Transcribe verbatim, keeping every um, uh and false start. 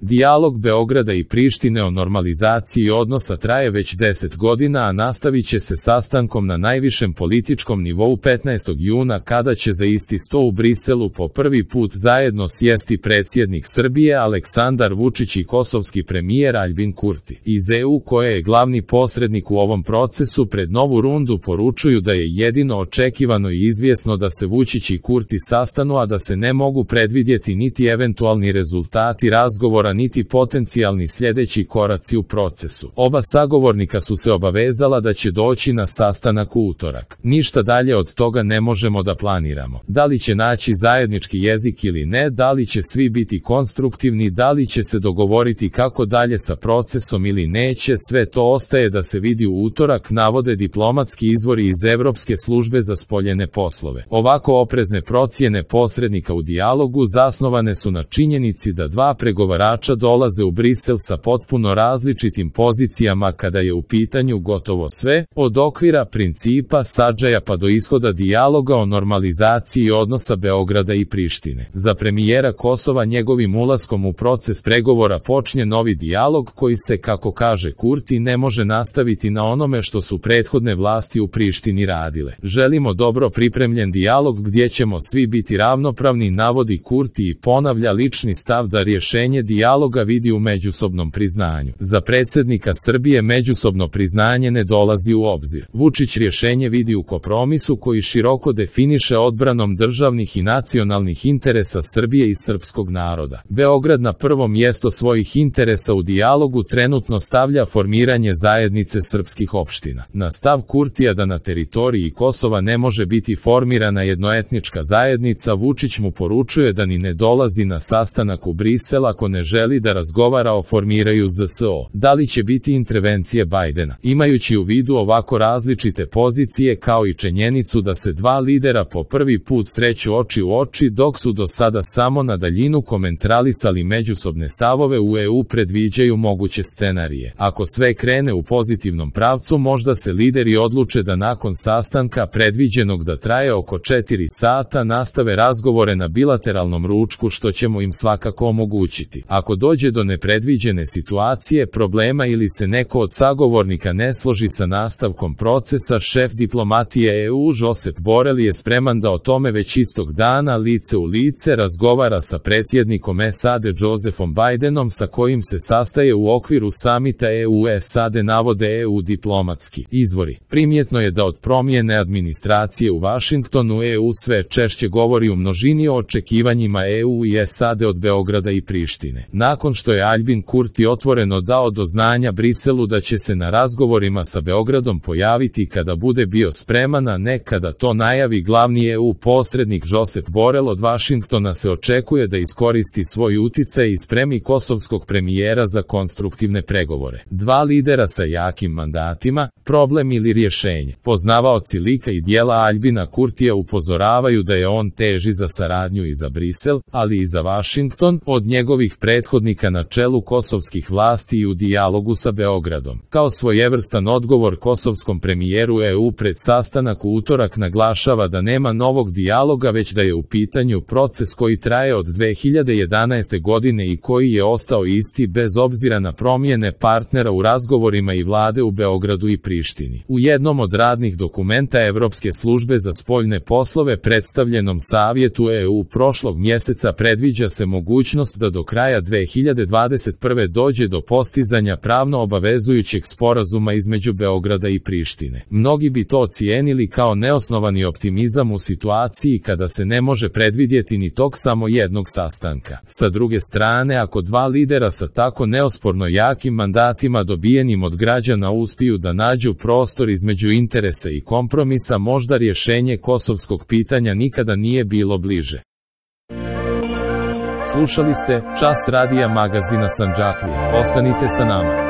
Dijalog Beograda i Prištine o normalizaciji odnosa traje već deset godina, a nastavit će se sastankom na najvišem političkom nivou petnaestog juna kada će za isti sto u Briselu po prvi put zajedno sjesti predsjednik Srbije Aleksandar Vučić i kosovski premijer Aljbin Kurti. Iz E U, koje je glavni posrednik u ovom procesu, pred novu rundu poručuju da je jedino očekivano i izvjesno da se Vučić i Kurti sastanu, a da se ne mogu predvidjeti niti eventualni rezultati razgovora niti potencijalni sljedeći koraci u procesu. Oba sagovornika su se obavezala da će doći na sastanak u utorak. Ništa dalje od toga ne možemo da planiramo. Da li će naći zajednički jezik ili ne, da li će svi biti konstruktivni, da li će se dogovoriti kako dalje sa procesom ili neće, sve to ostaje da se vidi u utorak, navode diplomatski izvori iz Evropske službe za spoljene poslove. Ovako oprezne procjene posrednika u dijalogu zasnovane su na činjenici da dva pregovarača dolaze u Brisel sa potpuno različitim pozicijama kada je u pitanju gotovo sve, od okvira, principa, sadržaja pa do ishoda dijaloga o normalizaciji odnosa Beograda i Prištine. Za premijera Kosova njegovim ulaskom u proces pregovora počinje novi dijalog koji se, kako kaže Kurti, ne može nastaviti na onome što su prethodne vlasti u Prištini radile. Želimo dobro pripremljen dijalog gdje ćemo svi biti ravnopravni, navodi Kurti i ponavlja lični stav da rješenje dijaloga vidi u međusobnom priznanju. Za predsjednika Srbije međusobno priznanje ne dolazi u obzir. Vučić rješenje vidi u kompromisu koji široko definiše odbranom državnih i nacionalnih interesa Srbije i srpskog naroda. Beograd na prvo mjesto svojih interesa u dijalogu trenutno stavlja formiranje zajednice srpskih opština. Na stav Kurtija da na teritoriji Kosova ne može biti formirana jednoetnička zajednica, Vučić mu poručuje da ni ne dolazi na sastanak u Brisel ako ne želi da razgovara o formiraju Z S O. Da li će biti intervencije Bajdena? Imajući u vidu ovako različite pozicije kao i činjenicu da se dva lidera po prvi put sreću oči u oči dok su do sada samo na daljinu komentralisali međusobne stavove, u E U predviđaju moguće scenarije. Ako sve krene u pozitivnom pravcu, možda se lideri odluče da nakon sastanka predviđenog da traje oko četiri sata nastave razgovore na bilateralnom ručku, što ćemo im svakako omogućiti. Ako dođe do nepredviđene situacije, problema ili se neko od sagovornika ne složi sa nastavkom procesa, šef diplomatije E U Josep Borel je spreman da o tome već istog dana lice u lice razgovara sa predsjednikom S A D Josephom Bidenom, sa kojim se sastaje u okviru samita E U S A D, navode E U diplomatski izvori. Primjetno je da od promjene administracije u Vašingtonu E U sve češće govori u množini o očekivanjima E U i S A D od Beograda i Prištine. Nakon što je Aljbin Kurti otvoreno dao do znanja Briselu da će se na razgovorima sa Beogradom pojaviti kada bude bio spreman, a ne kada to najavi glavni E U posrednik Josep Borel, od Vašingtona se očekuje da iskoristi svoj uticaj i spremi kosovskog premijera za konstruktivne pregovore. Dva lidera sa jakim mandatima, problem ili rješenje. Poznavaoci lika i dijela Aljbina Kurtija upozoravaju da je on teži za saradnju i za Brisel, ali i za Vašington, od njegovih prethodnika na čelu kosovskih vlasti i u dijalogu sa Beogradom. Kao svojevrstan odgovor kosovskom premijeru, E U pred sastanak u utorak naglašava da nema novog dijaloga, već da je u pitanju proces koji traje od dve hiljade jedanaeste godine i koji je ostao isti bez obzira na promjene partnera u razgovorima i vlade u Beogradu i Prištini. U jednom od radnih dokumenta Evropske službe za spoljne poslove predstavljenom Savjetu E U prošlog mjeseca predviđa se mogućnost da do kraja dve hiljade dvadeset prve dođe do postizanja pravno obavezujućeg sporazuma između Beograda i Prištine. Mnogi bi to ocijenili kao neosnovani optimizam u situaciji kada se ne može predvidjeti ni tok samo jednog sastanka. Sa druge strane, ako dva lidera sa tako neosporno jakim mandatima dobijenim od građana uspiju da nađu prostor između interesa i kompromisa, možda rješenje kosovskog pitanja nikada nije bilo bliže. Slušali ste Čas radija magazina Sandžaklija. Ostanite sa nama.